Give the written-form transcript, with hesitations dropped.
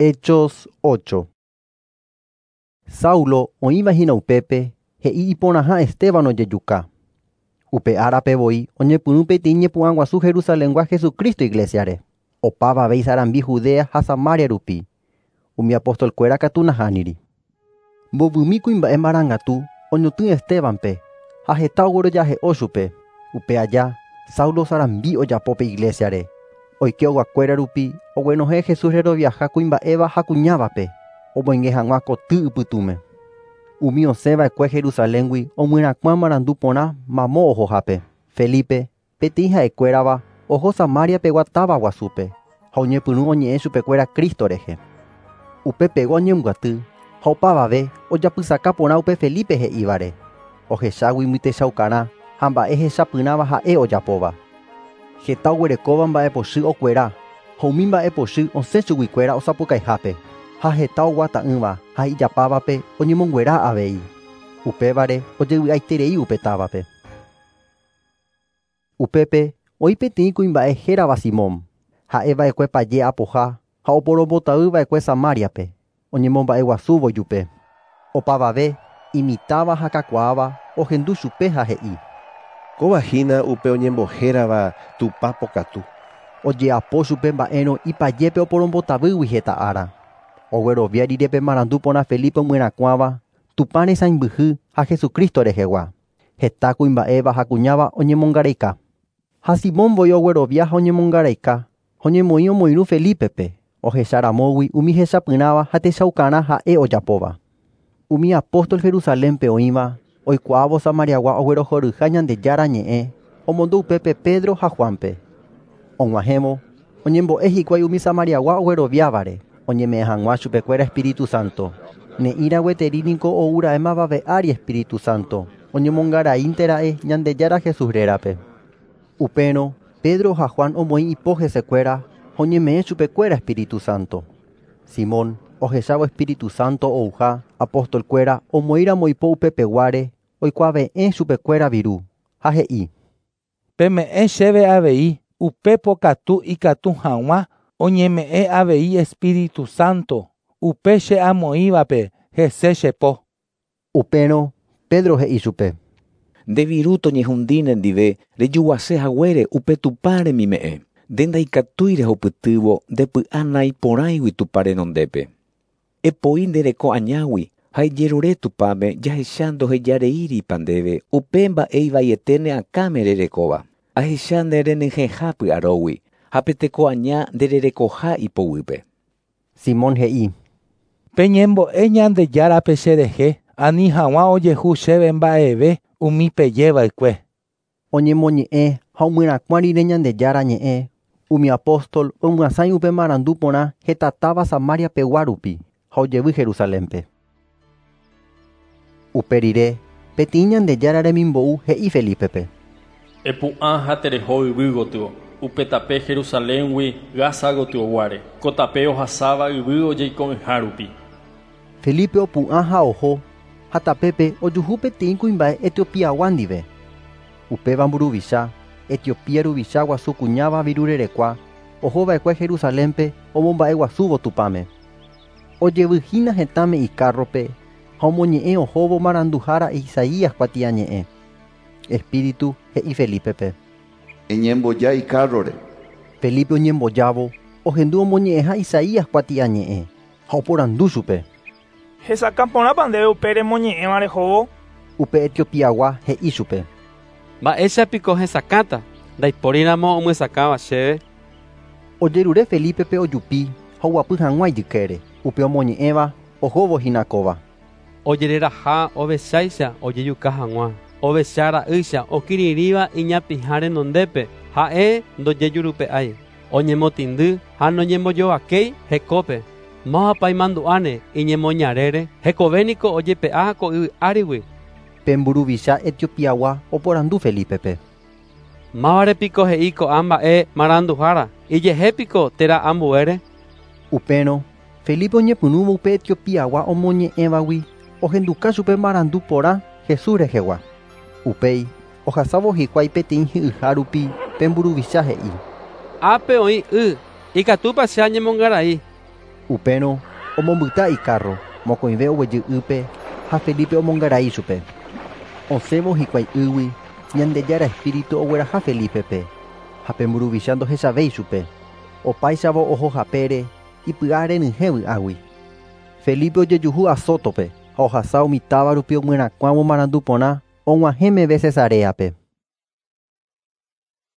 Hechos 8. Saulo oĩva hína upépe he'i iporãha Esteban ojejuka. Upe árape voi oñepyrũ peteĩ ñepu'ã guasu Jerusalengua Jesucristo iglesiare. Opavave isarambi Judea ha Samaria rupi. Umi apostolkuéra katu nahániri. Mbovymi kuimba'e marangatu oñotỹ Estebanpe ha heta oguerojahe'o chupe. Upe aja Saulo sarambi ojapo pe iglesiare. Oike ogakuéra rupi oguenohẽ Jesús reroviaha kuimba'éva ha kuñávape omoinge hag̃ua koty ypytũme. Umi osẽva'ekue Jerusaléngui omyerakuã marandu porã mamo ohohápe. Felipe, peteĩ ha'ekuérava, oho Samaria pegua táva guasúpe ha oñepyrũ oñe'ẽ chupekuéra Cristo rehe. Upepegua oñembyaty ha opavave ojapysaka porã upe Felipe he'ívare. Ohechágui mytechaukarã ha mba'e hechapyrãva ha'e ojapóva. Heta oguerekóva mba'epochy okuera ha umi mba'epochy osẽ chuguikuéra osapukaihápe ha heta oguata'ỹva ha ijapávape oñemonguera avei. Upévare ojevy'aiterei upe távape. Upépe oĩ peteĩ kuimba'e hérava Simón. Ha'eva'ekue paje apoha ha oporombotavýva'ekue Samariape oñemomba'eguasúvo ijupe. Opavave imitãva ha kakuaáva ohendu chupe ha he'i. Kóva hína upe oñembohérava Tupã pokatu. Ojeapo chupe mba'érõ ipajépe oporombotavýgui heta ára. Oguerovia rire pe marandu porã Felipe omyerakuãva Tupã resãimbyhy ha Jesucristo rehegua. Heta kuimba'éva ha kuñáva oñemongaraika. Ha Simón voi oguerovia ha oñemongaraika ha oñemoĩ omoirũ Felipepe ohecharamógui umi hechapyrãva ha techaukarã ha'e ojapóva. Umi apóstol Jerusalénpe oĩva oikuaávo Samariagua oguerohoryha Ñandejára ñe'ẽ omondo upépe Pedro ha Juanpe. Og̃uahẽvo oñembo'e hikuái umi Samariagua ogueroviávare oñeme'ẽ hag̃ua chupekuéra Espíritu Santo. Ne'ĩra gueteri niko oúra'e mavave ári Espíritu Santo oñemongaraíntera'e Ñandejára Jesús rérape. Upérõ Pedro ha Juan omoĩ ipo hesekuéra ha oñeme'ẽ chupekuéra Espíritu Santo. Simón ohechávo Espíritu Santo ouha apostolkuéra omoĩramo ipo upepeguáre oikuave'ẽ chupekuéra viru ha he'i. Peme'ẽ chéve avei upe pokatu ikatu hag̃ua oñeme'ẽ avei Espíritu Santo upe che amoĩvape hese chepo. Upérõ Pedro he'i chupe. Nde viru toñehundi nendive rejuguase haguére upe Tupã remime'ẽ. Nde ndaikatúi rehupytývo ndepy'a naiporãigui Tupã renondépe. Epoi nde reko añágui ha ejerure Tupãme jahecha ndohejareíripa ndéve upe mba'e ivaiete ne akãme rerekóva. Ahecha nde renyhẽha py'arógui ha pe teko aña ndererekoha ipoguýpe. Simón he'i. Peñembo'e Ñandejárape cherehe ani hag̃ua ojehu chéve mba'eve umi pejeva'ekue. Oñemoñe'ẽ ha omyerakuã rire Ñandejára ñe'ẽ umi apóstol omyasãi upe marandu porã heta táva Samaria pegua rupi ha ojevy Jerusalénpe. Upe rire peteĩ Ñandejára remimbou he'i Felipepe. Epu'ã ha tereho yvy gotyo, upe tape Jerusaléngui Gaza gotyoguáre, ko tape ohasáva yvy ojeiko'ỹha rupi. Felipe opu'ã ha oho ha tapépe ojuhu peteĩ kuimba'e Etiopiagua ndive. Upéva mburuvicha, Etiopía ruvicha guasu kuñáva virurerekua ohova'ekue Jerusalénpe omomba'eguasúvo Tupãme. Ojevyhína hetãme ikárrope ha omoñe'ẽ ohóvo maranduhára Isaías kuatiañe'ẽ. Espíritu he'i Felipepe. Eñemboja ikárrore. Felipe oñembojávo ohendu omoñe'ẽha Isaías kuatiañe'ẽ ha oporandu chupe. Hesakã porãpa ndéve upe remoñe'ẽva rehóvo. Upe Etiopiagua he'i chupe. Mba'éichapiko hesakãta ndaipóriramo omyesakãva chéve. Ojerure Felipepe ojupi ha oguapy hag̃ua ijykére. Upe omoñe'ẽva ohóvo hína kóva. Ojereraha ovecháicha ojejuka hag̃ua. Ovecha ra'ýicha okirirĩva iñapĩha renondépe ha'e ndojejurupe'ái. Oñemotĩndy ha noñembojovakéi hekópe. Mávapa imandu'áne iñemoñarére hekovéniko ojepe'a ko yvy árigui. Pe mburuvicha Etiopiagua oporandu Felipepe. Mávarepiko he'i ko'ã mba'e maranduhára ijehépiko térã ambuére. Upérõ Felipe oñepyrũvo upe Etiopiagua omoñe'ẽvagui ohenduka chupe marandu porã Jesús rehegua. Upéi ohasávo hikuái peteĩ hi'yha rupi pe mburuvicha he'i. Ápe oĩ y ikatúpa che añemongarai. Upérõ omombyta ikárro, mokõive oguejy ýpe ha Felipe omongarai chupe. Osẽvo hikuái ýgui, Ñandejára Espíritu ogueraha Felípepe, ha pe mburuvicha ndohechavéi chupe. Opáichavo oho hapére, ipy'a renyhẽ vy'águi. Felipe ojejuhu Azótope ha ohasa umi táva rupi omyerakuãvo marandu porã og̃uahẽ meve Cesareape.